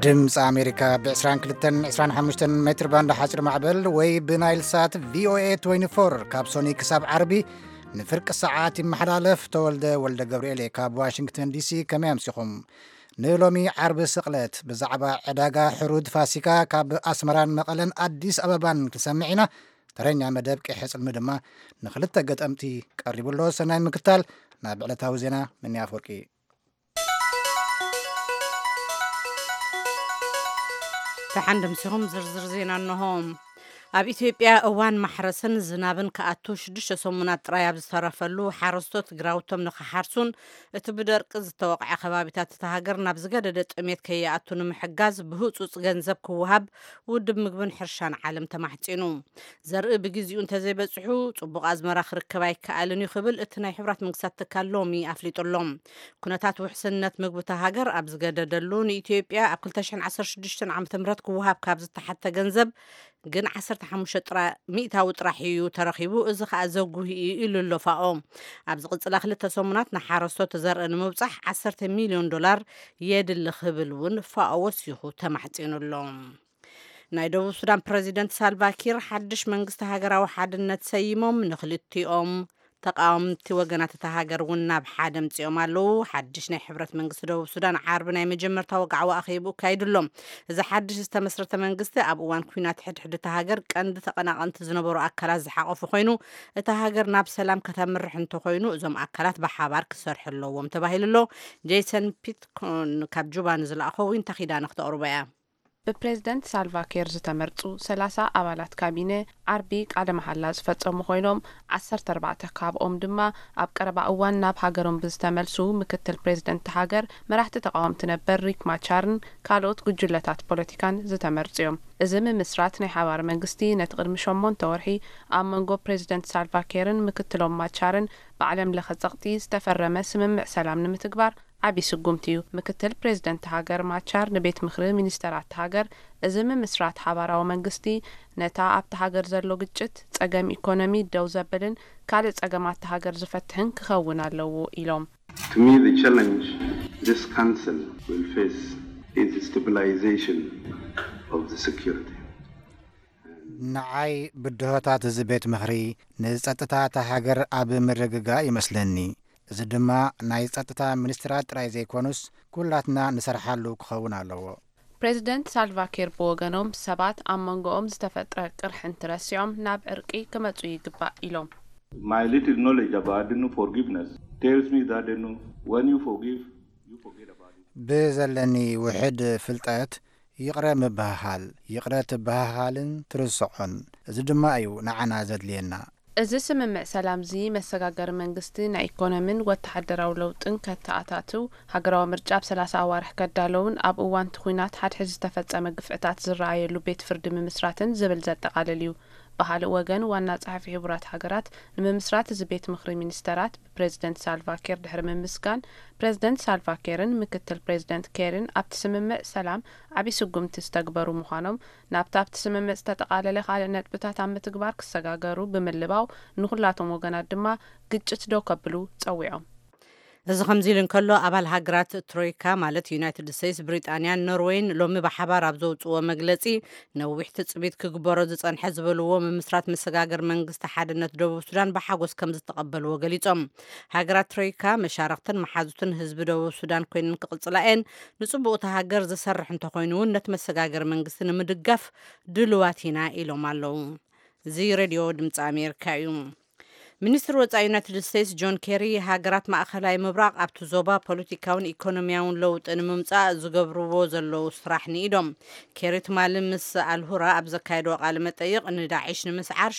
ድምፂ ኣሜሪካ ብ22 25 ሜትር ባንድ ሓፂር ማዕበል ወይ ብናይል ሳት ቪኦኤ 24 ካብ ሶኒ ክሳብ ዓርቢ ንፍርቂ ሰዓት ይመሓላለፍ። ተወልደ ወልደ ገብርኤል ካብ ዋሽንግተን ዲሲ። ከመይ ኣምሲኹም? ንሎሚ ዓርቢ ስቕለት ብዛዕባ ዕዳጋ ሕሩድ ፋሲካ ካብ ኣስመራን መቐለን ኣዲስ ኣበባን ክንሰምዕ ኢና። ተረኛ መደብ ቂሐ ጽልሚ ድማ ንኽልተ ገጠምቲ ቀሪቡ ኣሎ። ሰናይ ምክታል። ናብ ዕለታዊ ዜና። ምንያ ኣፈወርቂ። ደሓን ደምሲኹም። ዝርዝር ዜና እንሆ። ኣብ ኢትዮጵያ እዋን ማሕረስን ዝናብን ክኣቱ ሽዱሽተ ሰሙናት ጥራይ ኣብ ዝተረፈሉ፣ ሓረስቶት ግራውቶም ንኽሓርሱን እቲ ብደርቂ ዝተወቕዐ ከባቢታት እታ ሃገር ናብ ዝገደደ ጥሜት ከይኣቱ ንምሕጋዝ ብህጹጽ ገንዘብ ክወሃብ ውድብ ምግብን ሕርሻን ዓለም ተማሕጺኑ። ዘርኢ ብግዜኡ እንተዘይበጽሑ፣ ጽቡቕ ኣዝመራ ክርከብ ኣይከኣልን እዩ ክብል እቲ ናይ ሕቡራት መንግስታት ትካል ሎሚ ኣፍሊጡ ኣሎ። ኩነታት ውሕስነት ምግቢ እታ ሃገር ኣብ ዝገደደሉ፣ ንኢትዮጵያ ኣብ 2016 ዓ.ም ክወሃብ ካብ ዝተሓተ ገንዘብ ግን 15 ጥራ-፣ ሚእታዊ ጥራሕ እዩ ተረኺቡ። እዚ ኸኣ ዘጉሂ እዩ ኢሉ ኣሎ ፋኦ። ኣብ ዝቕጽላ ክልተ ሰሙናት ንሓረስቶት ዘርኢ ንምብጻሕ 10 ሚልዮን ዶላር የድሊ ክብል እውን ፋኦ ወሲኹ ተማሕጺኑ ኣሎ። ናይ ደቡብ ሱዳን ፕረዚደንት ሳልቫ ኪር ሓድሽ መንግስቲ ሃገራዊ ሓድነት ሰይሞም፣ ንክልቲኦም ተቃወምቲ ወገናት እታ ሃገር እውን ናብ ሓደ ኣምጺኦም ኣለዉ። ሓድሽ ናይ ሕብረት መንግስቲ ደቡብ ሱዳን ዓርቢ ናይ መጀመርታ ወግዓዊ ኣኼቡ ኣካይዱ ኣሎ። እዚ ሓድሽ ዝተመስረተ መንግስቲ ኣብ እዋን ኲናት ሕድሕድ እታ ሃገር ቀንዲ ተቐናቐንቲ ዝነበሩ ኣካላት ዝሓቐፉ ኮይኑ፣ እታ ሃገር ናብ ሰላም ከተምርሕ እንተኾይኑ እዞም ኣካላት ብሓባር ክሰርሑ ኣለዎም ተባሂሉ ኣሎ። ጄሰን ፒትኮን ካብ ጁባ ንዝለኣኾ ዊንታ ኪዳነ ክተቕርቦ እያ። ብፕሬዝደንት ሳልቫ ኬር ዝተመርጹ 30 ኣባላት ካቢነ ዓርቢ ቃለ መሓላ ዝፈጸሙ ኮይኖም፣ 14 ካብኦም ድማ ኣብ ቀረባ እዋን ናብ ሃገሮም ብዝተመልሱ ምክትል ፕሬዝደንት ሃገር፣ መራሕቲ ተቃወምቲ ነበር ሪክ ማቻርን ካልኦት ጉጅለታት ፖለቲካን ዝተመርጹ እዮም። እዚ ምምስራት ናይ ሓባር መንግስቲ ነቲ ቅድሚ ሸሞንተ ወርሒ ኣብ መንጎ ፕሬዝደንት ሳልቫ ኬርን ምክትሎም ማቻርን ብዓለም ለኸ ጸቕጢ ዝተፈረመ ስምምዕ ሰላም ንምትግባር ዓቢ ስጉምቲ እዩ። ምክትል ፕሬዝደንት ሃገር ማቻር ንቤት ምኽሪ ሚኒስተራት ሃገር፣ እዚ ምምስራት ሓባራዊ መንግስቲ ነታ ኣብቲ ሃገር ዘሎ ግጭት፣ ጸገም ኢኮኖሚ ደው ዘብልን ካልእ ጸገማት ሃገር ዝፈትሕን ክኸውን ኣለዎ ኢሎም። To me, the challenge this council will face is stabilization of the security. ንዓይ ብድሆታት እዚ ቤት ምኽሪ ንጸጥታ እታ ሃገር ኣብ ምርግጋእ ይመስለኒ። እዚ ድማ ናይ ጸጥታ ሚኒስትራት ጥራይ ዘይኮኑስ ኩላትና ንሰርሓሉ ክኸውን ኣለዎ። ፕሬዝደንት ሳልቫ ኪር ብወገኖም፣ ሰባት ኣብ መንጎኦም ዝተፈጥረ ቅርሒ እንትረሲዖም ናብ ዕርቂ ክመጹ ይግባእ ኢሎም። My little knowledge about Dinu forgiveness tells me that Dinu, when you forgive, you forget about it. ብዘለኒ ውሕድ ፍልጠት፣ ይቕረ ምብህሃል፣ ይቕረ ትበሃሃልን ትርስዖን። እዚ ድማ እዩ ንዓና ዘድልየና። እዚ ስምምዕ ሰላም እዚ መሰጋገሪ መንግስቲ ናይ ኢኮኖሚን ወተሃደራዊ ለውጥን ከተኣታትው፣ ሃገራዊ ምርጫ ኣብ 30 ኣዋርሕ ከዳለውን ኣብ እዋን እቲ ኲናት ሓድሕድ ዝተፈጸመ ግፍዕታት ዝረኣየሉ ቤት ፍርዲ ምምስራትን ዝብል ዘጠቓልል እዩ። ብኻልእ ወገን ዋና ጸሓፊ ሕቡራት ሃገራት ንምምስራት እዚ ቤት ምኽሪ ሚኒስተራት ብፕሬዝደንት ሳልቫ ኪር ድሕሪ ምምስጋን፣ ፕሬዝደንት ሳልቫ ኪርን ምክትል ፕሬዝደንት ኬርን ኣብቲ ስምምዕ ሰላም ዓቢ ስጉምቲ ዝተግበሩ ምዃኖም፣ ናብቲ ኣብቲ ስምምዕ ዝተጠቓለለ ካልእ ነጥብታት ኣብ ምትግባር ክሰጋገሩ ብምልባው፣ ንኹላቶም ወገናት ድማ ግጭት ደው ከብሉ ጸዊዖም። እዚ ከምዚ ኢሉ እንከሎ፣ ኣባል ሃገራት ትሮይካ ማለት ዩናይትድ ስቴትስ፣ ብሪጣንያን ኖርዌይን ሎሚ ብሓባር ኣብ ዘውጽዎ መግለጺ፣ ነዊሕ ትጽቢት ክግበሮ ዝጸንሐ ዝበልዎ ምምስራት መሰጋገር መንግስቲ ሓድነት ደቡብ ሱዳን ብሓጎስ ከም ዝተቐበልዎ ገሊጾም። ሃገራት ትሮይካ መሻርኽትን መሓዙትን ህዝቢ ደቡብ ሱዳን ኮይነን ክቕጽላ እየን። ንጽቡቕ እታ ሃገር ዝሰርሕ እንተኾይኑ እውን ነቲ መሰጋገር መንግስቲ ንምድጋፍ ድልዋት ኢና ኢሎም ኣለዉ። እዚ ሬድዮ ድምፂ ኣሜሪካ እዩ። ሚኒስትር ወፃኢ ዩናይትድ ስቴትስ ጆን ኬሪ፣ ሃገራት ማእኸላይ ምብራቕ ኣብቲ ዞባ ፖለቲካውን ኢኮኖሚያውን ለውጢ ንምምፃእ ዝገብርዎ ዘለዉ ስራሕ ንኢዶም። ኬሪ ትማሊ ምስ ኣልሁራ ኣብ ዘካየድዎ ቃለ መጠይቕ፣ ንዳዒሽ ንምስዓር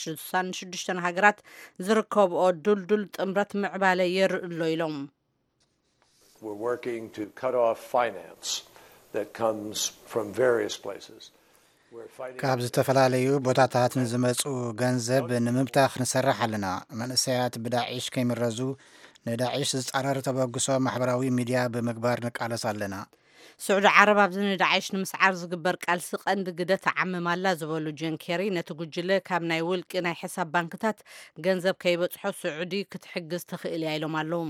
ሽዱሽተ ሃገራት ዝርከብኦ ዱልዱል ጥምረት ምዕባለ የርኢ ኣሎ ኢሎም። We're working to cut off finance that comes from various places. We're fighting ካብ ዝተፈላለዩ ቦታታት ንዝመፁ ገንዘብ ንምብታኽ ንሰርሕ ኣለና። መንእሰያት ብዳዒሽ ከይምረዙ፣ ንዳዒሽ ዝፃረር ተበግሶ ማሕበራዊ ሚድያ ብምግባር ንቃለስ ኣለና። ስዑዲ ዓረብ ኣብዚ ንዳዕሽ ንምስዓር ዝግበር ቃልሲ ቀንዲ ግደ ትዓምም ኣላ ዝበሉ ጆን ኬሪ፣ ነቲ ጉጅለ ካብ ናይ ውልቂ ናይ ሕሳብ ባንክታት ገንዘብ ከይበጽሖ ስዑዲ ክትሕግዝ ትኽእል እያ ኢሎም ኣለዉ።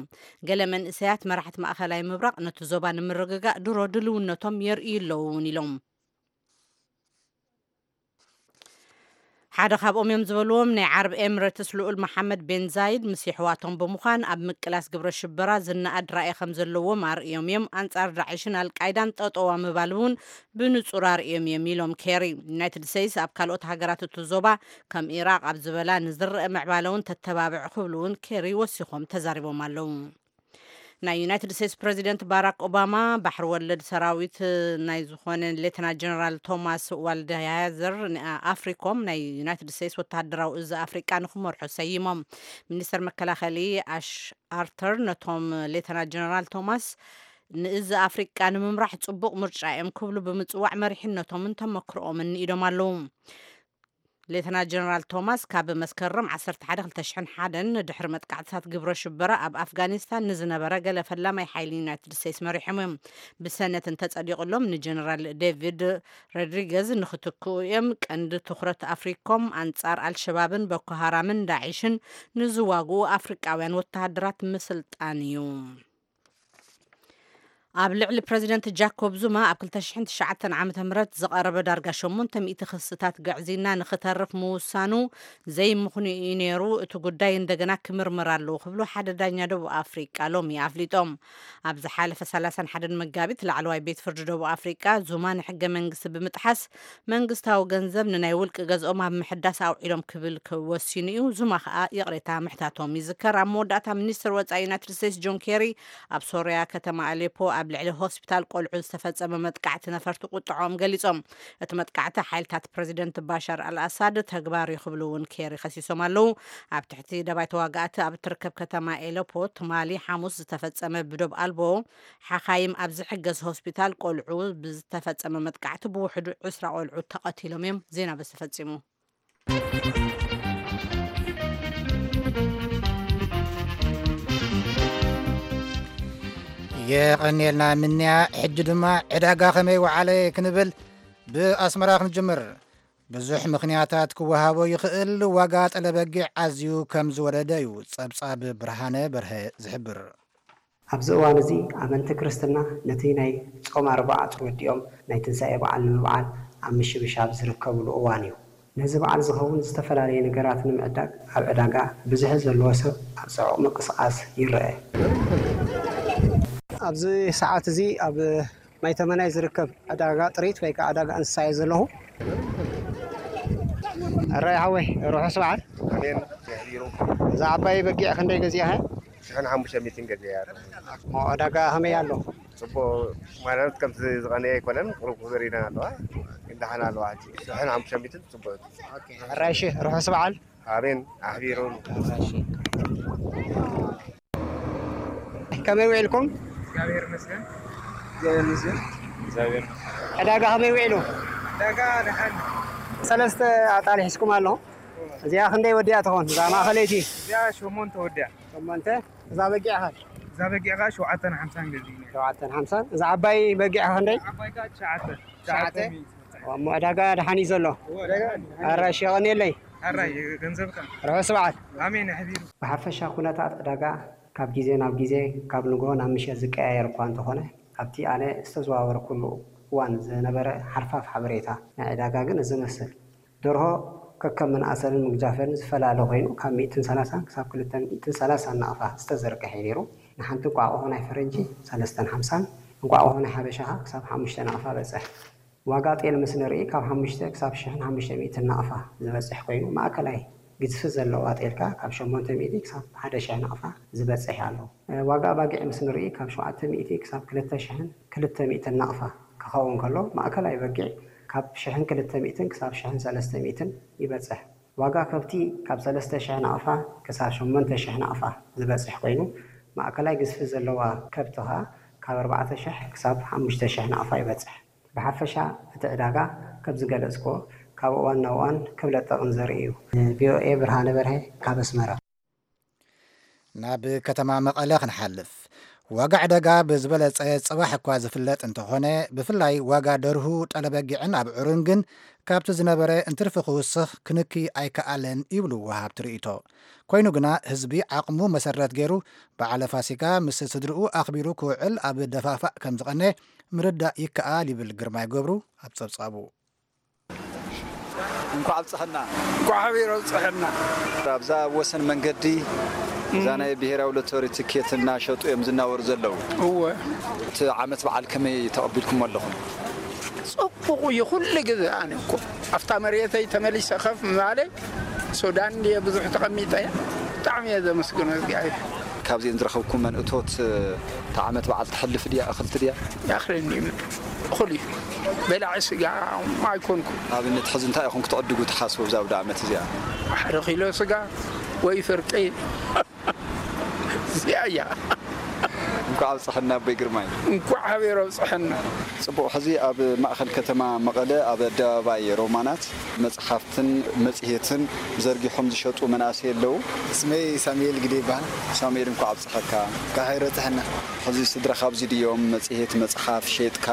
ገለ መንእሰያት መራሕቲ ማእኸላይ ምብራቕ ነቲ ዞባ ንምርግጋእ ድሮ ድልውነቶም የርእዩ ኣለዉ እውን ኢሎም። ሓደ ካብኦም እዮም ዝበልዎም ናይ ዓረብ ኤምሬትስ ልኡል መሓመድ ቤን ዛይድ ምስ የሕዋቶም ብምዃን ኣብ ምቅላስ ግብረ ሽበራ ዝነኣድ ራእይ ከም ዘለዎም ኣርእዮም እዮም። ኣንጻር ዳዕሽን ኣልቃይዳን ጠጠዋ ምባል እውን ብንጹር ኣርእዮም እዮም ኢሎም ኬሪ። ዩናይትድ ስቴትስ ኣብ ካልኦት ሃገራት እቲ ዞባ ከም ኢራቕ ኣብ ዝበላ ንዝረአ ምዕባለ እውን ተተባብዕ ክብሉ እውን ኬሪ ወሲኾም ተዛሪቦም ኣለዉ። ናይ ዩናይትድ ስቴትስ ፕሬዚደንት ባራክ ኦባማ ባሕሪ ወለድ ሰራዊት ናይ ዝኾነ ሌተና ጀነራል ቶማስ ዋልደሃዘር ንኣፍሪኮም ናይ ዩናይትድ ስቴትስ ወተሃደራዊ እዚ ኣፍሪቃ ንክመርሑ ሰይሞም። ሚኒስተር መከላኸሊ ኣሽ ኣርተር ነቶም ሌተና ጀነራል ቶማስ ንእዚ ኣፍሪቃ ንምምራሕ ጽቡቕ ምርጫ እዮም ክብሉ ብምጽዋዕ መሪሕነቶምን ተመክሮኦምን ንኢዶም ኣለዉ። ሌተና ጀነራል ቶማስ ካብ መስከረም ዓሰርተ ሓደ ክልተ ሽሕን ሓደን ድሕሪ መጥቃዕትታት ግብረ ሽበራ ኣብ ኣፍጋኒስታን ንዝነበረ ገለ ፈላማይ ሓይሊ ዩናይትድ ስቴትስ መሪሖም እዮም። ብሰነት እንተጸዲቑሎም ንጀነራል ዴቪድ ሮድሪገዝ ንክትክኡ እዮም። ቀንዲ ትኹረት ኣፍሪኮም ኣንጻር ኣልሸባብን ቦኮ ሃራምን ዳዒሽን ንዝዋግኡ ኣፍሪቃውያን ወተሃደራት ምስልጣን እዩ። ኣብ ልዕሊ ፕረዚደንት ጃኮብ ዙማ ኣብ ክልተ ሽሕን ትሽዓተን ዓመተ ምህረት ዝቐረበ ዳርጋ ሸሞንተ ሚእቲ ክስታት ግዕዝይና ንኽተርፍ ምውሳኑ ዘይምኽኑይ እዩ ነይሩ። እቲ ጉዳይ እንደገና ክምርመር ኣለዎ ክብሉ ሓደ ዳኛ ደቡብ ኣፍሪቃ ሎሚ ኣፍሊጦም። ኣብ ዝሓለፈ ሰላሳን ሓደን መጋቢት ላዕለዋይ ቤት ፍርዲ ደቡብ ኣፍሪቃ ዙማ ንሕገ መንግስቲ ብምጥሓስ መንግስታዊ ገንዘብ ንናይ ውልቂ ገዝኦም ኣብ ምሕዳስ ኣውዒሎም ክብል ወሲኑ እዩ። ዙማ ከኣ ይቕሬታ ምሕታቶም ይዝከር። ኣብ መወዳእታ ሚኒስትር ወጻኢ ዩናይትድ ስቴትስ ጆን ኬሪ ኣብ ሶርያ ከተማ ኣሌፖ ኣብ ልዕሊ ሆስፒታል ቆልዑ ዝተፈጸመ መጥቃዕቲ ነፈርቲ ቁጥዖም ገሊጾም። እቲ መጥቃዕቲ ሓይልታት ፕረዚደንት ባሻር ኣልኣሳድ ተግባር እዩ ክብሉ እውን ኬሪ ከሲሶም ኣለዉ። ኣብ ትሕቲ ደባይ ተዋጋእቲ ኣብ እትርከብ ከተማ ኤሌፖ ትማሊ ሓሙስ ዝተፈጸመ ብዶብ ኣልቦ ሓኻይም ኣብ ዝሕገዝ ሆስፒታል ቆልዑ ብዝተፈጸመ መጥቃዕቲ ብውሕዱ ዕስራ ቆልዑ ተቐቲሎም እዮም። ዜና በዚ ተፈጺሙ። የቐንየልና ምንያ። ሕጂ ድማ ዕዳጋ ከመይ ወዓለ ክንብል ብኣስመራ ክንጅምር። ብዙሕ ምኽንያታት ክወሃቦ ይኽእል። ዋጋ ጠለበጊዕ ኣዝዩ ከም ዝወረደ እዩ ጸብጻብ ብርሃነ በርሀ ዝሕብር። ኣብዚ እዋን እዚ ኣመንቲ ክርስትና ነቲ ናይ ጾም ኣርብዓ ተወዲኦም ናይ ትንሳኤ በዓል ንምብዓል ኣብ ምሽብሻብ ዝርከብሉ እዋን እዩ። ነዚ በዓል ዝኸውን ዝተፈላለየ ነገራት ንምዕዳግ ኣብ ዕዳጋ ብዝሒ ዘለዎ ሰብ ኣብ ጽዑቕ ምንቅስቓስ ይረአ። ኣብዚ ሰዓት እዚ ኣብ ማይ ተመናይ ዝርከብ ዕዳጋ ጥሪት ወይ ከዓ ዕዳጋ እንስሳ እየ ዘለኹ። ኣራይ ሓወይ፣ ርሑስ በዓል። ኣሜን። የሕቢሩ። እዛ ዓባይ በጊዕ ክንደይ ገዚእኻ? ሽሕን ሓሙሽተ ሚእትን ገዚአ። እሞ ዕዳጋ ከመይ ኣሎ? ጽቡቕ ማለት ከምቲ ዝቐነየ ኣይኮነን፣ ቁሩብ ክብር ኢለን ኣለዋ፣ ግን ደሓን ኣለዋ። ሕጂ ሽሕን ሓሙሽተ ሚእትን ጽቡቕ። ኣራይ ሺ፣ ርሑስ በዓል። ኣሜን። ኣሕቢሩ። ከመይ ውዒልኩም? እግዚኣብሔር ይመስገን። እግዚኣብሔር ይመስገን። እግዚኣብሔር። ዕዳጋ ከመይ ውዒሉ? ዕዳጋ ደሓን። ሰለስተ ኣጣል ሒዝኩም ኣለኹም። እዚኣ ክንደይ ወዲኣ ትኾን? እዛ ማእኸለይቲ? እዚኣ ሸሞንተ ወዲኣ። ሸሞንተ። እዛ በጊዕ ኸ? እዛ በጊዕ ኸ ሸውዓተን ሓምሳን ገዚእና። ሸውዓተን ሓምሳን። እዛ ዓባይ በጊዕ ኸ ክንደይ? ዓባይ ኸ ትሽዓተ። ትሽዓተ? ትሽዓተ ሚእቲ። እሞ ዕዳጋ ደሓን እዩ ዘሎ። ኣራሽ የቐንየለይ። ኣራይ ገንዘብካ። ርሑስ በዓል። ኣሜን ኣሕቢሩ። ብሓፈሻ ኩነታት ዕዳጋ ካብ ግዜ ናብ ግዜ፣ ካብ ንግሆ ናብ ምሸት ዝቀያየር እኳ እንተኾነ፣ ኣብቲ ኣነ ዝተዘዋወርኩሉ እዋን ዝነበረ ሓርፋፍ ሓበሬታ ናይ ዕዳጋ ግን እዚ ይመስል። ደርሆ ከከም መናእሰርን ምግጃፈርን ዝፈላለ ኮይኑ፣ ካብ ሚእትን ሰላሳን ክሳብ ክልተ ሚእትን ሰላሳን ናቕፋ ዝተዘርግሐ እዩ ነይሩ። ንሓንቲ እንቋቑሖ ናይ ፈረንጂ ሰለስተን ሓምሳን፣ እንቋቑሖ ናይ ሓበሻ ክሳብ ሓሙሽተ ናቕፋ በጽሕ። ዋጋ ጤል ምስ ንርኢ፣ ካብ ሓሙሽተ ክሳብ ሽሕን ሓሙሽተ ሚእትን ናቕፋ ዝበጽሕ ኮይኑ፣ ማእከላይ ግዝፊ ዘለዋ ጤል ከኣ ካብ ሸሞንተ ሚእቲ ክሳብ ሓደ ሽሕ ናቕፋ ዝበጽሕ ኣሎ። ዋጋ ኣባጊዕ ምስ ንርኢ፣ ካብ ሸውዓተ ሚእቲ ክሳብ ክልተ ሽሕን ክልተ ሚእትን ናቕፋ ክኸውን ከሎ፣ ማእከላይ በጊዕ ካብ ሽሕን ክልተ ሚእትን ክሳብ ሽሕን ሰለስተ ሚእትን ይበጽሕ። ዋጋ ከብቲ ካብ ሰለስተ ሽሕ ናቕፋ ክሳብ ሸሞንተ ሽሕ ናቕፋ ዝበጽሕ ኮይኑ፣ ማእከላይ ግዝፊ ዘለዋ ከብቲ ኸኣ ካብ ኣርባዕተ ሽሕ ክሳብ ሓሙሽተ ሽሕ ናቕፋ ይበጽሕ። ብሓፈሻ እቲ ዕዳጋ ከም ዝገለጽክዎ ካብ እዋን ናብ እዋን ክብለጥ ጠቕን ዘርኢ እዩ። ንቪኦኤ ብርሃነ በርሀ ካብ ኣስመራ። ናብ ከተማ መቐለ ክንሓልፍ። ዋጋ ዕዳጋ ብዝበለጸ ጽባሕ እኳ ዝፍለጥ እንተኾነ፣ ብፍላይ ዋጋ ደርሁ፣ ጠለበጊዕን ኣብዑርን ግን ካብቲ ዝነበረ እንትርፊ ክውስኽ ክንኪ ኣይከኣለን ይብሉ ወሃብቲ ርእይቶ። ኮይኑ ግና ህዝቢ ዓቕሙ መሰረት ገይሩ በዓለ ፋሲካ ምስ ስድርኡ ኣኽቢሩ ክውዕል ኣብ ደፋፋእ ከም ዝቐነ ምርዳእ ይከኣል ይብል ግርማይ ገብሩ ኣብ ጸብጻቡ። እንኳዕ ኣብፀሐና። እንኳዕ ሓቢር ኣብፀሐና። ኣብዛ ኣብ ወሰን መንገዲ እዛ ናይ ብሄራዊ ሎተሪ ትኬት እናሸጡ እዮም ዝናወሩ ዘለዉ። እወ። እቲ ዓመት በዓል ከመይ ተቐቢልኩሞ ኣለኹም? ፅቡቕ እዩ። ኩሉ ግዜ ኣነ እኮ ኣብታ መሬተይ ተመሊሰ ከፍ ምባለይ ሱዳን ድየ ብዙሕ ተቐሚጠ እየ። ብጣዕሚ እየ ዘመስግኖ እግዚኣብሔር። ካብዚአን ዝረኸብኩመን እቶት እታ ዓመት በዓል ተሕልፍ ድያ? እኽልቲ ድያ? ይኣኽለኒ እዩ። እኹል እዩ። በላዒ ስጋ ኣይኮንኩ። ኣብነት ሕዚ እንታይ ኢኹም ክትዕድጉ ትሓስቡ ኣብዛ ኣውደ ዓመት እዚኣ? ሓደ ኪሎ ስጋ ወይ ፍርቂ እዚኣ እያ። እንኳዕ ኣብፀሐና ኣቦይ ግርማይ። እንኳዕ ሓቢር ኣብፀሐና። ፅቡቕ። ሕዚ ኣብ ማእኸል ከተማ መቐለ ኣብ ኣደባባይ ሮማናት መፅሓፍትን መፅሄትን ዘርጊሖም ዝሸጡ መናእሰይ ኣለዉ። ስመይ ሳሙኤል ግደ ይበሃል። ሳሙኤል እንኳዕ ኣብፀሐካ። እንኳዕ ሓቢር ኣብፀሐና። ሕዚ ስድራኻ ኣብዚ ድዮም? መፅሄት መፅሓፍ ሸይጥካ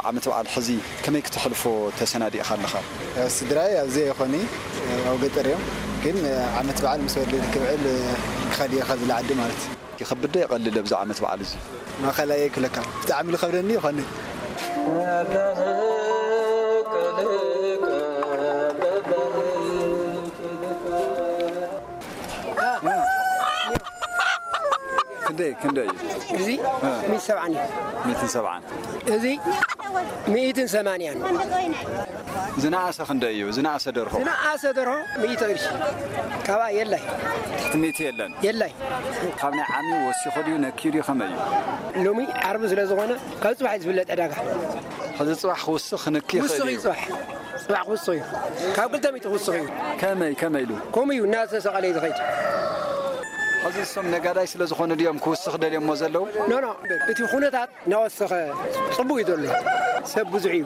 ዓመት በዓል ሕዚ ከመይ ክተሕልፎ ተሰናዲእኻ ኣለኻ? ስድራይ ኣብዚ ኣይኾኒ፣ ኣብ ገጠር እዮም። ግን ዓመት በዓል ምስ ወለዲ ክብዕል ክኸድ እየ ካብዚ ዓዲ ማለት እዩ። ይኸብድ ዶ የቐልል ኣብዚ ዓመት በዓል እዚ? ማእኸላይ ክለካ ብጣዕሚ ዝኸብደኒ ይኾኒ። ክንደይ ክንደይ እዩ? እዚ ሚእቲ ሰብዓን እዩ። ሚእትን ሰብዓን። እዚ ሚእትን ሰማንያን። ዝነኣሰ ክንደይ እዩ? ዝነኣሰ ደርሆ? ዝነኣሰ ደርሆ ሚእቲ ቅርሺ። ካብኣ የላይ። ትሕቲ ሚእቲ የለን? የላይ። ካብ ናይ ዓሚ ወሲኹ ድዩ ነኪዩ ድዩ ከመይ እዩ? ሎሚ ዓርቢ ስለ ዝኾነ ካብ ፅባሕ እዩ ዝፍለጥ ዕዳጋ። ሕዚ ፅባሕ ክውስኽ ክንኪ ይኽእል ውስኽ እዩ እዩ። ፅባሕ። ፅባሕ ክውስኽ እዩ። ካብ ክልተ ሚእቲ ክውስኽ እዩ። ከመይ ከመይ ኢሉ? ከምኡ እዩ እናተሰቐለ እዩ ዝኸይድ። ሕዚ እሶም ነጋዳይ ስለ ዝኾኑ ድዮም ክውስኽ ደልዮሞ ዘለዉ? ኖ ኖ፣ እቲ ኩነታት እናወሰኸ ፅቡቅ እዩ ዘሎ። ሰብ ብዙሕ እዩ።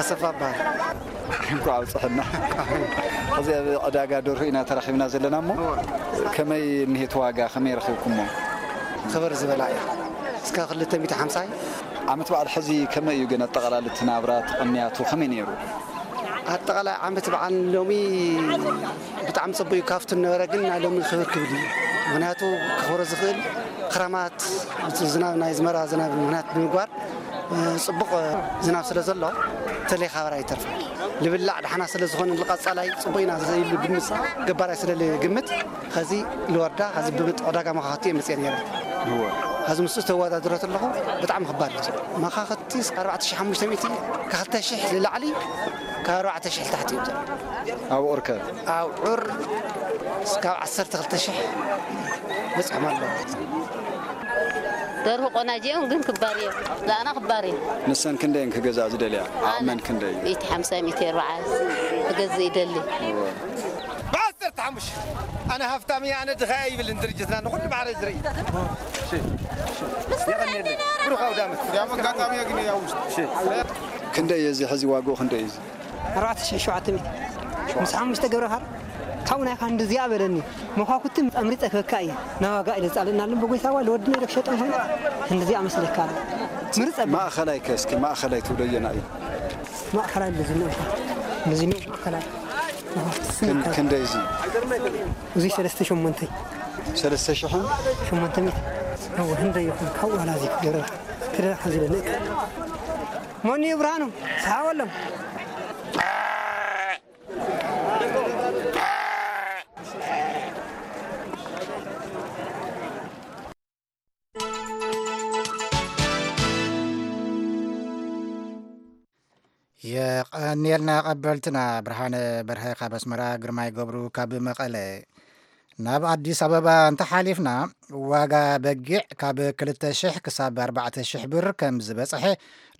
ኣሰፋ እበሃል። እንኳዕ ኣብፅሐና። ሕዚ ኣብ ዕዳጋ ደርሁ ኢና ተራኺብና ዘለና እሞ ከመይ እኒሄት ዋጋ ከመይ ረኺብኩሞ? ክብር ዝበላ እዩ። እስከ ክልተ ሚእቲ ሓምሳ እዩ። ዓመት በዓል ሕዚ ከመይ እዩ ግን ኣጠቓላሊ እቲ ናብራ እቲ ቅንያቱ ከመይ ነይሩ? ኣጠቓላይ ዓመት በዓል ሎሚ ብጣዕሚ ፅቡቅ እዩ። ካብቲ ነበረ ግን ናይ ሎሚ ክብር ክብል እዩ። ምክንያቱ ከኽብሮ ዝኽእል ክረማት ዝናብ ናይ ዝመራ ዝናብ ምክንያት ብምግባር ፅቡቕ ዝናብ ስለ ዘሎ ተለይ ካበራ ይተርፍ ልብላዕ ዳሕና ስለ ዝኾነ ንቐፃላይ ፅቡቕ ኢና ኢሉ ግምት ገባራይ ስለ ግምት ኸዚ ልወርዳ ኸዚ ብምጥ ዕዳጋ መኻኽቲ እየ መፅአ ነይረ። ኸዚ ምስኡ ተወዳድረት ኣለኹ ብጣዕሚ ክባድ እዩ። መኻኽቲ ኣርባዕተ ሺሕ ሓሙሽተ ሚእቲ ካብ ክልተ ሺሕ ንላዕሊ ካብ ኣርባዕተ ሺሕ ታሕቲ እዮም ዘለዉ። ኣብዑር ከ? ኣብዑር እስካብ ዓሰርተ ክልተ ሺሕ በፂሖም ኣለዉ። ደርሁ ቆናጅ እዮም ግን ክባር እዮም። ዛና ክባር እዮም። ንሰን ክንደየን ክገዝኣ ዝደልያ? ዓቕመን ክንደይ እዩ? ሚእቲ ሓምሳ ሚእቲ ኣርብዓ ክገዝእ ይደሊ። ብዓሰርተ ሓሙሽተ ኣነ ሃፍታም እየ ኣነ ድኻ እየ ይብልን ድርጅትና ንኹሉ ማዕረ ዝርኢ። የቐንየለይ። ብሩኽ ኣውደ ዓመት። ያም ኣጋጣሚ ግን ያው ውስጥ ክንደይ እዩ እዚ ሕዚ ዋግኡ ክንደይ እዩ እዚ? ኣርባዕተ ሽሕ ሸውዓተ ሚእቲ ምስ ሓሙሽተ ገብረ ኻር ካብኡ ናይካ ክንድዚኣ በለኒ መኳኩቲ ኣምሪፀ ክበካ እየ ናብ ዋጋ ኢለ ፃልእናለን በጎይታዋ ለወድና ኢለ ክሸጠን ኮይኑ ክንድዚኣ መስለካ ምርፀ ማእኸላይ ከ እስኪ ማእኸላይ ትብሎ ኣየና እዩ? ማእኸላይ እንደዚ ነው እንደዚ ነው ማእኸላይ ክንደይ እዚ? እዚ ሰለስተ ሸሞንተ ሰለስተ ሽሕን ሸሞንተ ሚእቲ እወ ህንደይ ይኹን ካብኡ ዋላ እዚ ክገብረልካ ክደረካ ዝብል ንእካ መኒ እዩ ብርሃኑ ሰሓበሎም የቐንየልና ቀበልትና ብርሃነ በርሀ ካብ ኣስመራ፣ ግርማይ ገብሩ ካብ መቐለ። ናብ ኣዲስ ኣበባ እንተሓሊፍና ዋጋ በጊዕ ካብ ክልተ ሽሕ ክሳብ ኣርባዕተ ሽሕ ብር ከም ዝበፅሐ፣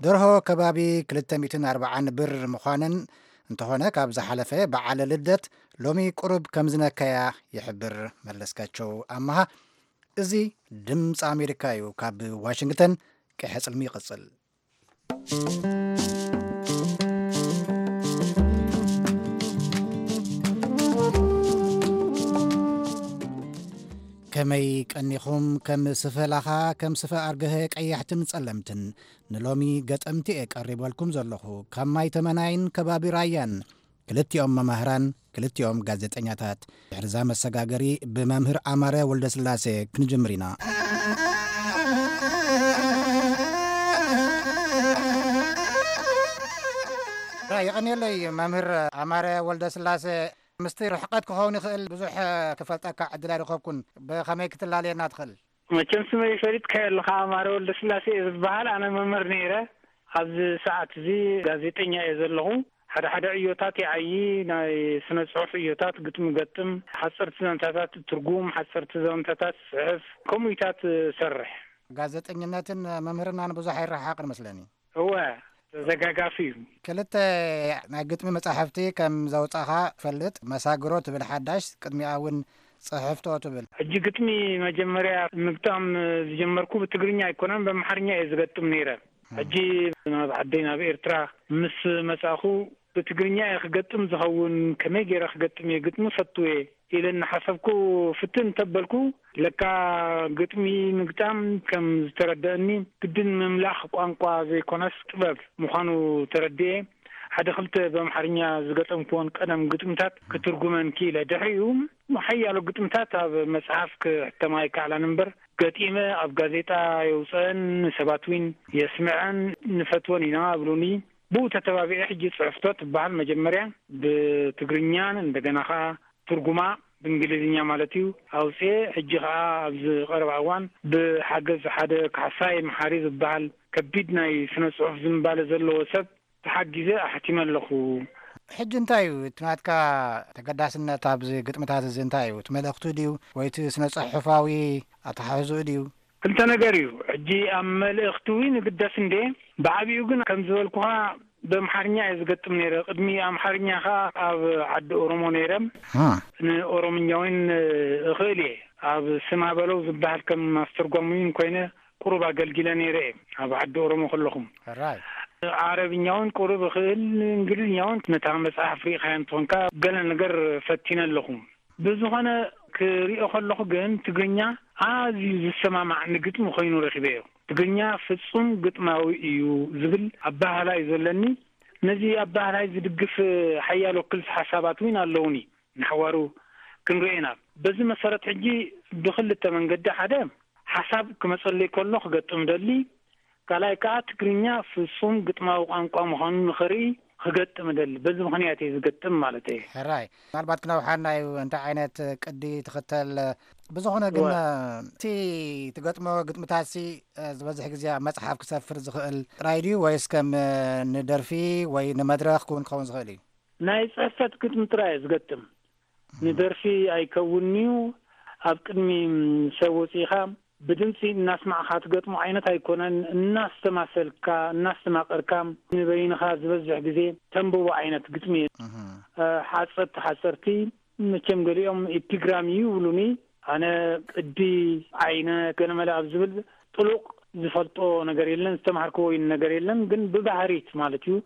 ደርሆ ከባቢ ክልተ ሚእትን ኣርባዓን ብር ምዃንን እንተኾነ ካብ ዝሓለፈ በዓለ ልደት ሎሚ ቁሩብ ከም ዝነከያ ይሕብር። መለስካቸው ኣመሃ። እዚ ድምፂ ኣሜሪካ እዩ። ካብ ዋሽንግተን ቀይሐ ፅልሚ ይቕፅል። ከመይ ቀኒኹም? ከም ስፈ ላኻ፣ ከም ስፈ ኣርገሀ ቀያሕትን ጸለምትን ንሎሚ ገጠምቲ እየ ቀሪበልኩም ዘለኹ። ካብ ማይ ተመናይን ከባቢ ራያን ክልቲኦም መማህራን፣ ክልቲኦም ጋዜጠኛታት። ድሕርዛ መሰጋገሪ ብመምህር ኣማረ ወልደስላሴ ክንጅምር ኢና። ራ፣ የቐንየለይ መምህር ኣማረ ወልደስላሴ። ምስቲ ርሕቀት ክኸውን ይኽእል፣ ብዙሕ ክፈልጠካ ዕድል ኣይረኸብኩን። ብኸመይ ክትላለየና ትኽእል? መቸም ስመይ ፈሊጥካዮ ኣለኻ፣ ኣማረ ወልደስላሴ እየ ዝበሃል። ኣነ መምህር ነይረ፣ ኣብዚ ሰዓት እዚ ጋዜጠኛ እየ ዘለኹ። ሓደ ሓደ ዕዮታት ይዓዪ፣ ናይ ስነ ጽሑፍ ዕዮታት፣ ግጥሚ ገጥም፣ ሓጸርቲ ዛንታታት ትርጉም፣ ሓጸርቲ ዛንታታት ጽሕፍ፣ ከምኡታት እሰርሕ። ጋዜጠኝነትን መምህርናን ብዙሕ ኣይረሓቕን መስለኒ። እወ፣ ተዘጋጋፊ እዩ። ክልተ ናይ ግጥሚ መጻሕፍቲ ከም ዘውጻኻ ፈልጥ፣ መሳግሮ ትብል ሓዳሽ፣ ቅድሚኣ እውን ጽሕፍቶ ትብል። ሕጂ ግጥሚ መጀመርያ ምግጣም ዝጀመርኩ ብትግርኛ ኣይኮነን፣ በምሓርኛ እየ ዝገጥም ነይረ። ሕጂ ናብ ዓደይ ናብ ኤርትራ ምስ መጻኹ ብትግርኛ እየ ክገጥም ዝኸውን፣ ከመይ ገይረ ክገጥም እየ፣ ግጥሚ ፈቱ እየ ኢለ እናሓሰብኩ ፍትን እንተበልኩ፣ ለካ ግጥሚ ምግጣም ከም ዝተረደአኒ ግድን ምምላኽ ቋንቋ ዘይኮነስ ጥበብ ምዃኑ ተረድኤ። ሓደ ክልተ በምሓርኛ ዝገጠምኩዎን ቀደም ግጥምታት ክትርጉመን ክኢለ። ድሕሪኡ ሓያሎ ግጥምታት ኣብ መጽሓፍ ክሕተማ ኣይከኣላን እምበር፣ ገጢመ ኣብ ጋዜጣ የውፅአን፣ ንሰባት እውን የስምዐን፣ ንፈትወን ኢና ኣብሉኒ። ብኡ ተተባቢዐ ሕጂ ጽሕፍቶ ትበሃል መጀመርያ ብትግርኛን እንደገና ኸኣ ትርጉማ ብእንግሊዝኛ ማለት እዩ ኣውፅኤ። ሕጂ ኸኣ ኣብዚ ቀረባ እዋን ብሓገዝ ሓደ ካሕሳይ መሓሪ ዝበሃል ከቢድ ናይ ስነ ጽሑፍ ዝንባለ ዘለዎ ሰብ ተሓጊዘ ኣሕቲመ ኣለኹ። ሕጂ እንታይ እዩ እቲ ናትካ ተገዳስነት ኣብዚ ግጥምታት እዚ? እንታይ እዩ እቲ መልእኽቱ ድዩ ወይ እቲ ስነ ጽሑፋዊ ኣተሓሕዝኡ ድዩ? ክልተ ነገር እዩ። ሕጂ ኣብ መልእኽቲ እውን ይግደስ እንዴ፣ ብዓቢኡ ግን ከም ዝበልኩኻ በምሓርኛ እየ ዝገጥም ነይረ። ቅድሚ ኣምሓርኛ ኸኣ ኣብ ዓዲ ኦሮሞ ነይረ። ንኦሮምኛ እውን እኽእል እየ። ኣብ ስማ በለው ዝበሃል ከም ኣስተርጓሚ እውን ኮይነ ቁሩብ ኣገልጊለ ነይረ እየ ኣብ ዓዲ ኦሮሞ ከለኹም። ሕራይ። ዓረብኛ እውን ቁሩብ እኽእል፣ እንግሊዝኛ እውን ነታ መጽሓፍ ርኢኻያ እንትኾንካ ገለ ነገር ፈቲነ ኣለኹ። ብዝኾነ ክሪኦ ከለኹ ግን ትግርኛ ኣዝዩ ዝሰማማዕ ንግጥሚ ኮይኑ ረኺበዮ። ትግርኛ ፍጹም ግጥማዊ እዩ ዝብል ኣባህላ እዩ ዘለኒ። ነዚ ኣባህላይ ዝድግፍ ሓያሎ ክልስ ሓሳባት እውን ኣለውኒ። ንሓዋሩ ክንሪኦ ኢና። በዚ መሰረት ሕጂ ብክልተ መንገዲ፣ ሓደ ሓሳብ ክመጸለይ ከሎ ክገጥም ደሊ፣ ካልኣይ ከኣ ትግርኛ ፍጹም ግጥማዊ ቋንቋ ምዃኑ ንኽርኢ ክገጥም እደሊ። በዚ ምኽንያት እየ ዝገጥም ማለት እየ። ሕራይ፣ ምናልባት ክነውሓና እዩ እንታይ ዓይነት ቅዲ ትኽተል። ብዝኾነ ግን፣ ወ- እቲ ትገጥሞ ግጥምታትሲ፣ እ፣ ዝበዝሕ ግዜ ኣብ መጽሓፍ ክሰፍር ዝኽእል ጥራይ ድዩ ወይስ ከም፣ እ፣ ንደርፊ ወይ ንመድረኽ ክውን ክኸውን ዝኽእል እዩ? ናይ ጽሕፈት ግጥሚ ጥራይ እየ ዝገጥም። ንደርፊ ኣይከውንን'ዩ። ኣብ ቅድሚ ሰብ ወጺእኻ ብድምጺ እናስማዕኻ ትገጥሞ ዓይነት ኣይኮነን። እናስተማሰልካ፣ እናስተማቐርካ ንበይንኻ ዝበዝሕ ግዜ ተንብቦ ዓይነት ግጥሚ እዩ። እህ። እ፣ ሓጸርቲ ሓጸርቲ፣ መቸም ገሊኦም ኤፒግራም እዩ ይብሉኒ። ኣነ ቅዲ፣ ዓይነት፣ ገለመለ ኣብ ዝብል ጥሉቕ ዝፈልጦ ነገር የለን፣ ዝተማሃርክዎ ነገር የለን። ግን ብባህሪት ማለት እዩ፣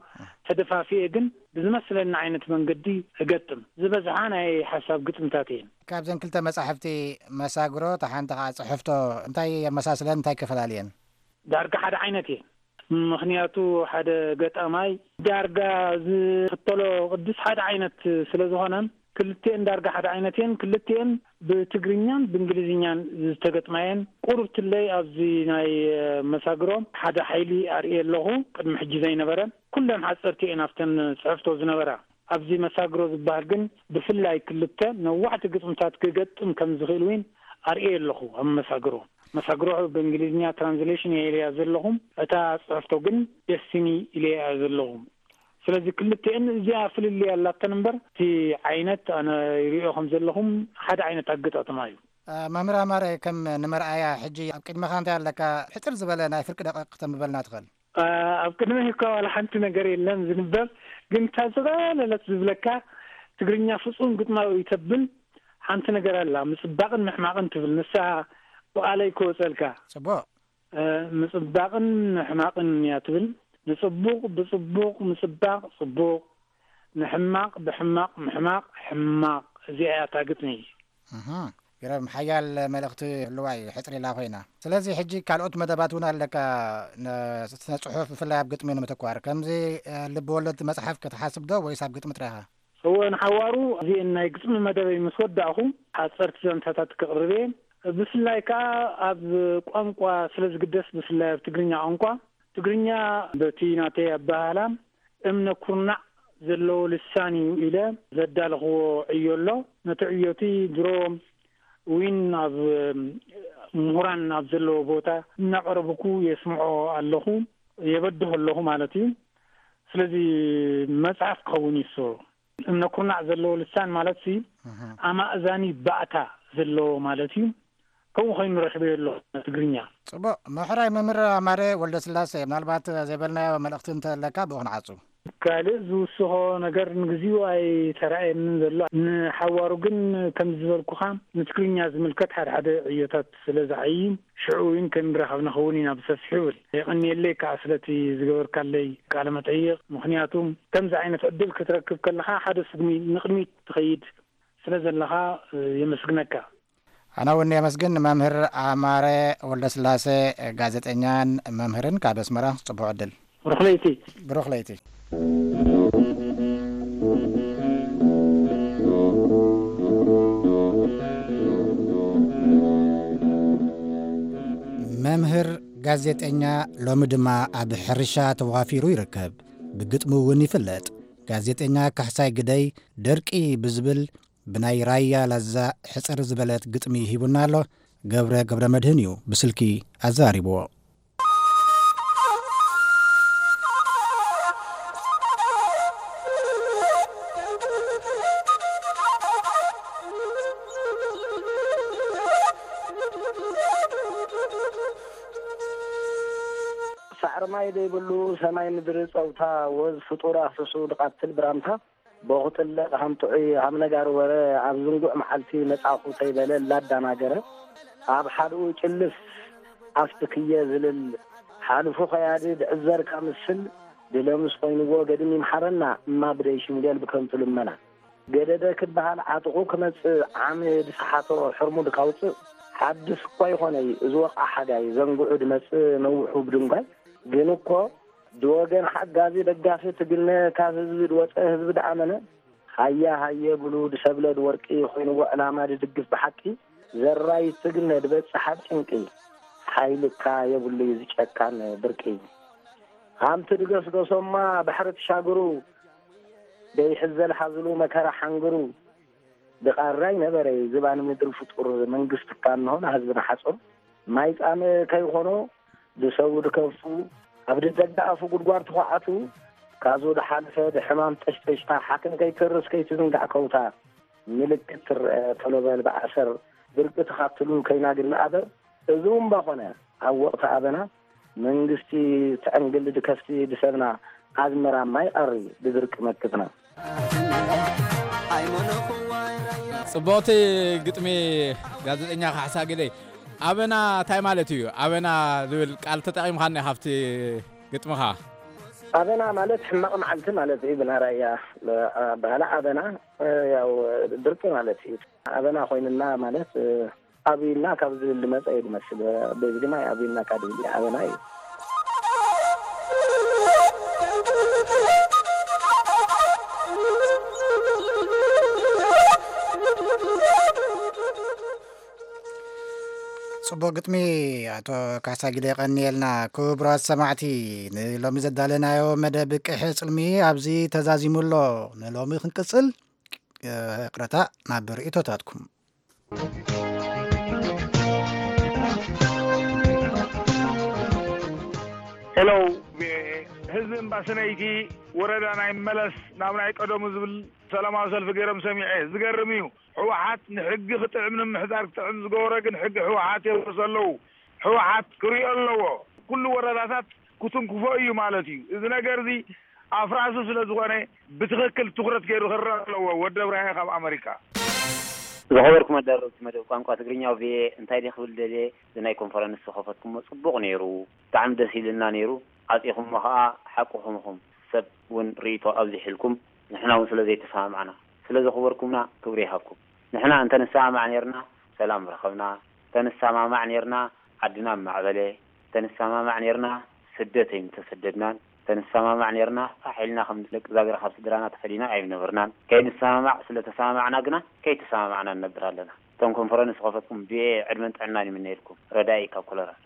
ተደፋፊኤ ግን ብዝመስለኒ ዓይነት መንገዲ እገጥም። ዝበዝሓ ናይ ሓሳብ ግጥምታት እየን። ካብዘን ክልተ መጻሕፍቲ፣ መሳግሮ፣ እታ ሓንቲ ኸዓ ጽሕፍቶ፣ እንታይ የመሳስለን፣ እንታይ ከፈላልየን? ዳርጋ ሓደ ዓይነት እየን። ምኽንያቱ ሓደ ገጣማይ ዳርጋ ዝኽተሎ ቅድስ ሓደ ዓይነት ስለ ዝኾነ፣ ክልቲኤን ዳርጋ ሓደ ዓይነት እየን። ክልቲኤን ብትግርኛን ብእንግሊዝኛን ዝተገጥማ እየን። ቁሩብ ትለይ ኣብዚ ናይ መሳግሮ ሓደ ሓይሊ ኣርእየ ኣለኹ፣ ቅድሚ ሕጂ ዘይነበረ። ኩለን ሓጸርቲ እየን ኣብተን ጽሕፍቶ ዝነበራ። ኣብዚ መሳግሮ ዝበሃል ግን ብፍላይ ክልተ ነዋሕቲ ግጥምታት ክገጥም ከም ዝኽእል እውን ኣርእየ ኣለኹ ኣብ መሳግሮ። መሳግሮ ብእንግሊዝኛ ትራንስሌሽን እየ ኢለያ ዘለኹ። እታ ጽሕፍቶ ግን ደስቲኒ ኢለያ ዘለኹ። ስለዚ ክልቲኤን እዚኣ ፍልልይ ኣላተን እምበር፣ እቲ ዓይነት ኣነ ይሪኦ ከም ዘለኹም ሓደ ዓይነት ኣገጣጥማ እዩ። እ፣ መምህር ኣማረ፣ ከም ንመርኣያ ሕጂ ኣብ ቅድመኻ እንታይ ኣለካ? ሕጽር ዝበለ ናይ ፍርቂ ደቂቕ ክተንብበልና ትኽእል? እ፣ ኣብ ቅድመይ እኳ ዋላ ሓንቲ ነገር የለን ዝንበብ፣ ግን እታ ዝቐለለት ዝብለካ ትግርኛ ፍጹም ግጥማዊ እዩ ተብል ሓንቲ ነገር ኣላ፣ ምጽባቕን ምሕማቕን ትብል፣ ንሳ ብቓለይ ክወጸልካ። ጽቡቕ። እ፣ ምጽባቕን ምሕማቕን እያ ትብል። ንጽቡቕ ብጽቡቕ ምጽባቕ ጽቡቕ፣ ንሕማቕ ብሕማቕ ምሕማቕ ሕማቕ። እዚኣ እያ እታ ግጥሚ። እህ። ግረም ሓያል መልእኽቲ ህልዋ እዩ፣ ሕጽር ኢላ ኮይና። ስለዚ ሕጂ ካልኦት መደባት እውን ኣለካ፣ ነ-፣ ስነ ጽሑፍ ብፍላይ ኣብ ግጥሚ ንምትኳር። ከምዚ፣ እ፣ ልቢ ወለድ መጽሓፍ ክትሓስብ ዶ ወይስ ኣብ ግጥሚ ጥራይኻ? እወ፣ ንሓዋሩ እዚአን ናይ ግጥሚ መደበይ ምስ ወዳእኹ ሓጸርቲ ዛንታታት ክቕርብ እየ። ብፍላይ ከኣ ኣብ ቋንቋ ስለ ዝግደስ፣ ብፍላይ ኣብ ትግርኛ ቋንቋ፣ ትግርኛ በቲ ናተይ ኣበሃህላ እምነ ኩርናዕ ዘለዎ ልሳን እዩ ኢለ ዘዳለኽዎ ዕዮ ኣሎ። ነቲ ዕዮቲ ድሮ ዊን ኣብ ምሁራን ኣብ ዘለዎ ቦታ እናቐረብኩ የስምዖ ኣለኹ፣ የበድሆ ኣለኹ ማለት እዩ። ስለዚ መጽሓፍ ክኸውን እዩ እሱ። እምነ ኩርናዕ ዘለዎ ልሳን ማለት ሲ እህ። ኣማእዛኒ ባእታ ዘለዎ ማለት እዩ። ከምኡ ኮይኑ ረኺበዮ ኣለኹ ትግርኛ። ጽቡቕ። ምሕራይ መምህር ኣማረ ወልደስላሴ፣ ምናልባት ዘይበልናዮ መልእኽቲ እንተለካ ብኡ ክንዓጹ። ካልእ ዝውስኾ ነገር ንግዚኡ ኣይተራእየንን ዘሎ። ንሓዋሩ ግን ከም ዝበልኩኻ ንትግርኛ ዝምልከት ሓደ ሓደ ዕዮታት ስለ ዝዓይን ሽዑ እውን ክንራኸብ ንኸውን ኢና ብሰፊሑ ይብል። የቐንየለይ ከዓ ስለቲ ዝገበርካለይ ቃለ መጠይቕ። ምኽንያቱ ከምዚ ዓይነት ዕድል ክትረክብ ከለኻ ሓደ ስጉሚ ንቕድሚት ትኸይድ ስለ ዘለኻ የመስግነካ። ኣነ እውን የመስግን። መምህር ኣማረ ወልደስላሴ፣ ጋዜጠኛን መምህርን ካብ ኣስመራ፣ ጽቡቕ ዕድል። ብሩኽ ለይቲ። ብሩኽ ለይቲ። መምህር፣ ጋዜጠኛ፣ ሎሚ ድማ ኣብ ሕርሻ ተዋፊሩ ይርከብ። ብግጥሙ እውን ይፍለጥ። ጋዜጠኛ ካሕሳይ ግደይ ደርቂ ብዝብል ብናይ ራያ ላዛ ሕጽር ዝበለት ግጥሚ ሂቡና ኣሎ። ገብረ ገብረ መድህን እዩ ብስልኪ ኣዘራሪብዎ። ሳዕሪ ማይ ዘይብሉ ሰማይ ምድሪ ጸውታ፣ ወዝ ፍጡር ኣፍስሱ ድቓትል ብራምታ፣ ቦኽጥለ ሃም ጥዑይ ሃም ነጋሪ ወረ፣ ኣብ ዝንጉዕ መዓልቲ መጻኹ ተይበለ ላዳናገረ፣ ኣብ ሓድኡ ጭልፍ ኣፍቲ ክየ ዝልል፣ ሓልፉ ኸያዲ ድዕዘርካ ምስል፣ ድለምስ ኮይንዎ ገድም ይምሓረና፣ እማ ብደይ ሽምገል ብከንቱ ልመና። ገደደ ክበሃል ዓጥቑ ክመጽእ ዓሚ ድሰሓቶ ሕርሙ ድካውጽእ፣ ሓድስ እኳ ይኾነይ እዚ ወቕዓ ሓጋይ፣ ዘንግዑ ድመጽእ ነውሑ ብድንጓይ፣ ግን እኮ ድወገን ሓጋዚ ደጋፊ ትግነ ካብ ህዝቢ ድወጸ ህዝቢ ድኣመነ፣ ሃየ ሃየ ብሉ ድሰብለ ድወርቂ ኮይንዎ ዕላማ ድድግፍ ብሓቂ፣ ዘራይ ትግነ ድበጽሕ ኣብ ጭንቂ፣ ሓይልካ የብሉይ እዚ ጨካን ብርቂ። ሃምቲ ድገስገሶማ ባሕሪ ትሻግሩ፣ ደይሕዘል ሓዝሉ መከራ ሓንግሩ፣ ድቓራይ ነበረ ዝባን ምድሪ ፍጡር መንግስትካ እንሆ ንህዝቢ ንሓጹር፣ ማይ ጻመ ከይኾኖ ድሰቡ ድከፉ፣ ኣብ ድደጋኣፉ ጉድጓድ ትኹዓቱ፣ ካዙ ድሓልፈ ድሕማም ጠሽጠሽታ፣ ሓክም ከይትርስ ከይትዝንጋዕ ከውታ፣ ምልክት ትረአ ቶሎ በል ብኣሰር፣ ብርቂ ትኻትሉ ከይናግን ኣበር፣ እዚ እውን ባኾነ ኣብ ወቕቲ ኣበና፣ መንግስቲ ትዕንግል ድከፍቲ ድሰብና፣ ኣዝመራ ማይ ቐሪ ድድርቂ መክትና። ጽቡቕቲ ግጥሚ ጋዜጠኛ ካሕሳ ግደይ። ኣበና እንታይ ማለት እዩ? ኣበና ዝብል ቃል ተጠቒምካኒ ካብቲ ግጥምኻ። ኣበና ማለት ሕማቕ መዓልቲ ማለት እዩ። ብናራያ ኣበሃላ ኣበና ያው ድርቂ ማለት እዩ። ኣበና ኮይንና ማለት ኣብዩና ካብ ዝብል ዝመጸ እዩ ዝመስል። በዚ ድማ ኣብዩና ካብ ዝብል ኣበና እዩ። ጽቡቕ ግጥሚ ኣቶ ካሕሳ ግደ፣ የቐንየልና። ክቡራት ሰማዕቲ፣ ንሎሚ ዘዳለናዮ መደብ ቅሒ ጽልሚ ኣብዚ ተዛዚሙ ኣሎ። ንሎሚ ክንቅጽል፣ ይቕረታ፣ ናብ ርእይቶታትኩም። ሄሎ፣ ህዝቢ እምባሰነይቲ ወረዳ ናይ መለስ ናብ ናይ ቀደሙ ዝብል ሰላማዊ ሰልፊ ገይሮም ሰሚዐ። ዝገርም እዩ። ህወሓት ንሕጊ ክጥዕም ንምሕዳር ክጥዕም ዝገበሮ ግን ሕጊ ህወሓት የፍርሱ ኣለዉ። ህወሓት ክሪኦ ኣለዎ። ኩሉ ወረዳታት ክትንክፎ እዩ ማለት እዩ። እዚ ነገር እዚ ኣፍራሱ ስለ ዝኾነ ብትኽክል ትኹረት ገይሩ ክረኣ ኣለዎ። ወዲ ኣብርሃ ካብ ኣመሪካ። ዝኸበርኩም ኣዳለውቲ መደብ ቋንቋ ትግርኛ ቪኦኤ፣ እንታይ ድየ ክብል ደልየ፣ እዚ ናይ ኮንፈረንስ ዝኸፈትኩሞ ጽቡቕ ነይሩ። ብጣዕሚ ደስ ኢልና ነይሩ። ዓጺኹሞ ኸኣ ሓቅኹም ኢኹም። ሰብ እውን ርእይቶ ኣብዚሕልኩም፣ ንሕና እውን ስለ ዘይተሰማማዕና፣ ስለ ዘኽበርኩምና ክብሪ ይሃብኩም። ንሕና እንተ ንሰማማዕ ነይርና፣ ሰላም ረኸብና። ተንሰማማዕ ኔርና ዓድና ምማዕበለ። ተንሰማማዕ ኔርና ስደት ኣይምተሰደድናን። ተንሰማማዕ ኔርና ፋሕ ኢልና ከም ደቂ ዛግራ ካብ ስድራና ተፈሊና ኣይምነበርናን። ከይንሰማማዕ ስለ ተሰማማዕና ግና ከይተሰማማዕና ንነብር ኣለና። እቶም ኮንፈረንስ ዝኸፈትኩም ብየ ዕድመን ጥዕናን ይምነየልኩም። ረዳኢ ካብ ኮሎራዶ።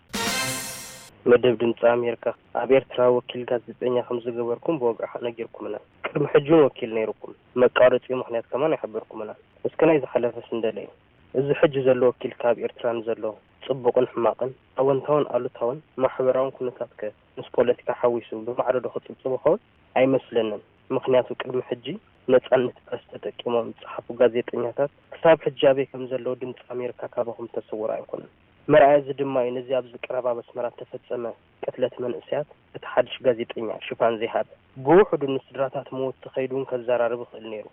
መደብ ድምፂ ኣሜሪካ፣ ኣብ ኤርትራ ወኪል ጋዜጠኛ ከም ዝገበርኩም ብወግዒ ነጊርኩምና። ቅድሚ ሕጂ እውን ወኪል ነይርኩም። መቃረፂኡ ምኽንያት ከማን ኣይሓበርኩምናን። እስከ ናይ ዝሓለፈስ እንደለዩ። እዚ ሕጂ ዘሎ ወኪል ካብ ኤርትራ ንዘሎ ፅቡቕን ሕማቕን፣ ኣወንታውን ኣሉታውን ማሕበራውን ኩነታትከ ምስ ፖለቲካ ሓዊሱ ብማዕረ ዶ ክፅብፅብ ይኸውን? ኣይመስለንን። ምኽንያቱ ቅድሚ ሕጂ ነፃነት ፕረስ ተጠቂሞም ዝፀሓፉ ጋዜጠኛታት ክሳብ ሕጂ ኣበይ ከም ዘለዉ ድምፂ ኣሜሪካ ካባኹም ዝተሰወረ ኣይኮነን። መርኣያ እዚ ድማ እዩ ነዚ ኣብዚ ቀረባ ኣብ ኣስመራ ዝተፈፀመ ቅትለት መንእሰያት እቲ ሓድሽ ጋዜጠኛ ሽፋን ዘይሃበ። ብውሕዱ ንስድራታት መወቲ ከይዱ እውን ከዘራርብ ይኽእል ነይሩ።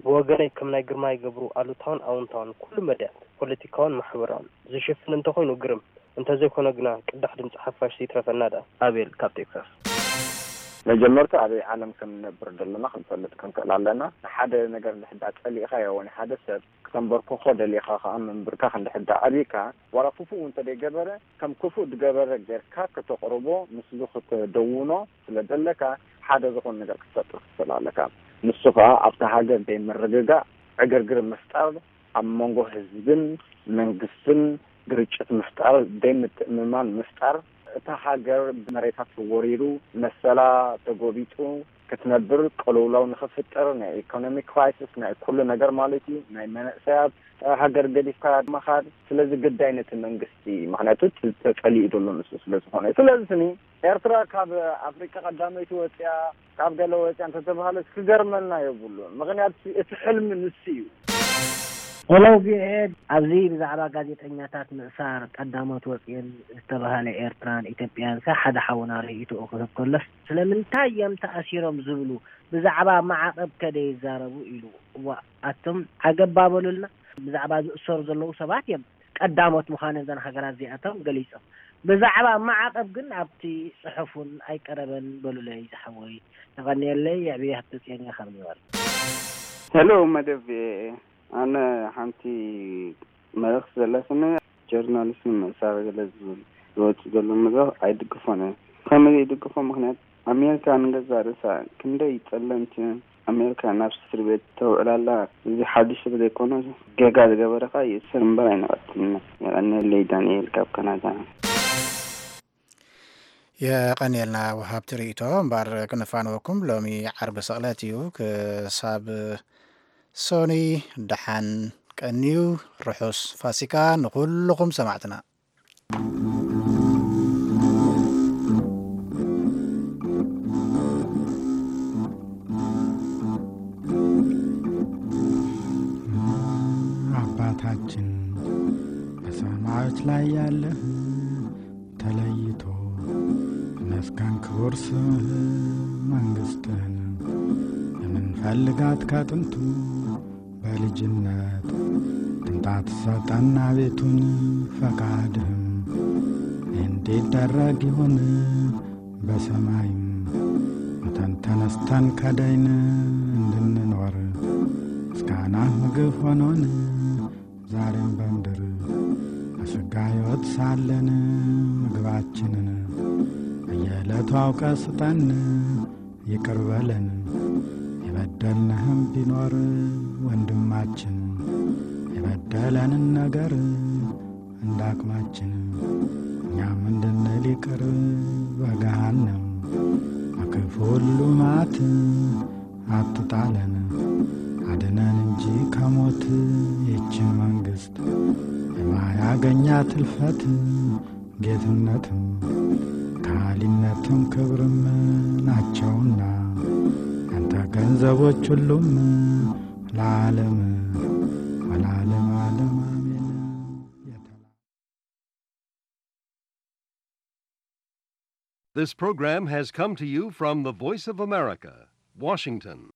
ብወገነይ ከም ናይ ግርማይ ገብሩ ኣሉታውን ኣውንታውን ኩሉ መዳያት ፖለቲካውን ማሕበራውን ዝሽፍን እንተኾይኑ ግርም፣ እንተዘይኮነ ግና ቅዳሕ ድምፂ ሓፋሽ ዘይትረፈና ደኣ። ኣቤል ካብ ቴክሳስ። መጀመርታ ኣበይ ዓለም ከም ንነብር ዘለና ክንፈልጥ ክንክእል ኣለና። ንሓደ ነገር እንድሕዳ ጸሊእኻዮ ወይ ንሓደ ሰብ ክተንበርክኾ ደሊኻ ከኣ ምንብርካኽ እንድሕዳ ኣብይካ ዋላ ክፉእ እውን እንተደይገበረ ከም ክፉእ ድገበረ ጌርካ ከተቕርቦ ምስሉ ክትደውኖ ስለ ዘለካ ሓደ ዝኾነ ነገር ክትፈጥር ክትኽእል ኣለካ። ንሱ ከኣ ኣብታ ሃገር ደይ ምርግጋእ ዕግርግር ምፍጣር ኣብ መንጎ ህዝብን መንግስትን ግርጭት ምፍጣር፣ ደይ ምትእምማን ምፍጣር፣ እታ ሃገር ብመሬታ ተወሪሩ፣ መሰላ ተጎቢጡ ክትነብር ቅልውላው ንኽፍጥር፣ ናይ ኢኮኖሚ ክራይሲስ፣ ናይ ኩሉ ነገር ማለት እዩ፣ ናይ መናእሰያት ሃገር ገዲፍካ ምኻድ። ስለዚ ግዳይ ነቲ መንግስቲ፣ ምኽንያቱ ተጸሊኡ ዘሎ ንሱ ስለ ዝኾነ። ስለዚ ስኒ ኤርትራ ካብ ኣፍሪቃ ቀዳመይቲ ወጽያ ካብ ገለ ወፅያ እንተተባሃለስ ክገርመና የብሉን። ምኽንያቱ እቲ ሕልሚ ንሱ እዩ። ሄሎ ቪኦኤ፣ ኣብዚ ብዛዕባ ጋዜጠኛታት ምእሳር ቀዳሞት ወፅየን ዝተባሃለ ኤርትራን ኢትዮጵያን ሰ ሓደ ሓውና ርእይትኡ ክህብ ከሎስ ስለምንታይ እዮም ተኣሲሮም ዝብሉ ብዛዕባ ማዕቐብ ከ ደይዛረቡ ኢሉ። እዋ ኣቱም ዓገብ ባበሉልና። ብዛዕባ ዝእሰሩ ዘለዉ ሰባት እዮም ቀዳሞት ምዃነን እዘን ሃገራት እዚኣቶም ገሊጾም። ብዛዕባ ማዕቐብ ግን ኣብቲ ጽሑፍ እውን ኣይቀረበን በሉለይ ዝሓወይ። የቐንየለይ። የዕብየ ሃብተጽዮን እየ ካብ ኒውዮርክ። ሄሎ መደብ ቪኦኤ፣ ኣነ ሓንቲ መልእኽቲ ዘለትኒ ጀርናሊስት ንምእሳር ገለ ዝብል ዝወጽእ ዘሎ መድረኽ ኣይድግፎን እየ። ከመይ ዘይድግፎ ምኽንያት ኣሜሪካ ንገዛእ ርእሳ ክንደይ ጸለምቲ ኣሜሪካ ናብ እስር ቤት ተውዕል ኣላ። እዚ ሓድሽ ስለ ዘይኮነ ጌጋ ዝገበረ ከኣ ይእሰር እምበር ኣይንቐትልን ኢና። የቐንየለይ። ዳንኤል ካብ ካናዳ። የቐንየልና ወሃብቲ ርእይቶ። እምበኣር ክንፋነወኩም ሎሚ ዓርቢ ስቕለት እዩ። ክሳብ ሶኒ ደሓን ቀንዩ። ርሑስ ፋሲካ ንኹልኹም ሰማዕትና። አባታችን በሰማዮች ላይ ያለህ ተለይቶ ይመስገን ክቡር ስምህ። መንግስትህን የምንፈልጋት ከጥንቱ በልጅነት ቅንጣት ሰጠና ቤቱን ፈቃድህም እንዲደረግ ይሁን በሰማይም ሙተን ተነስተን ከዳይን እንድንኖር ምስጋና ምግብ ሆኖን ዛሬም በምድር በስጋ ሕይወት ሳለን ምግባችንን በየዕለቱ አውቀ ስጠን። ይቅር በለን የበደልንህም ቢኖር ወንድማችን የበደለንን ነገር እንዳቅማችን እኛም እንድንል ይቅር በገሃነም በክፉ ሁሉ መዓት አትጣለን አድነን እንጂ ከሞት ይችን መንግስት የማያገኛት እልፈት ጌትነትም ከሃሊነትም ክብርም ናቸውና ያንተ ገንዘቦች ሁሉም ለዓለም ወለዓለም ዓለም አሜን። This program has come to you from the Voice of America, Washington.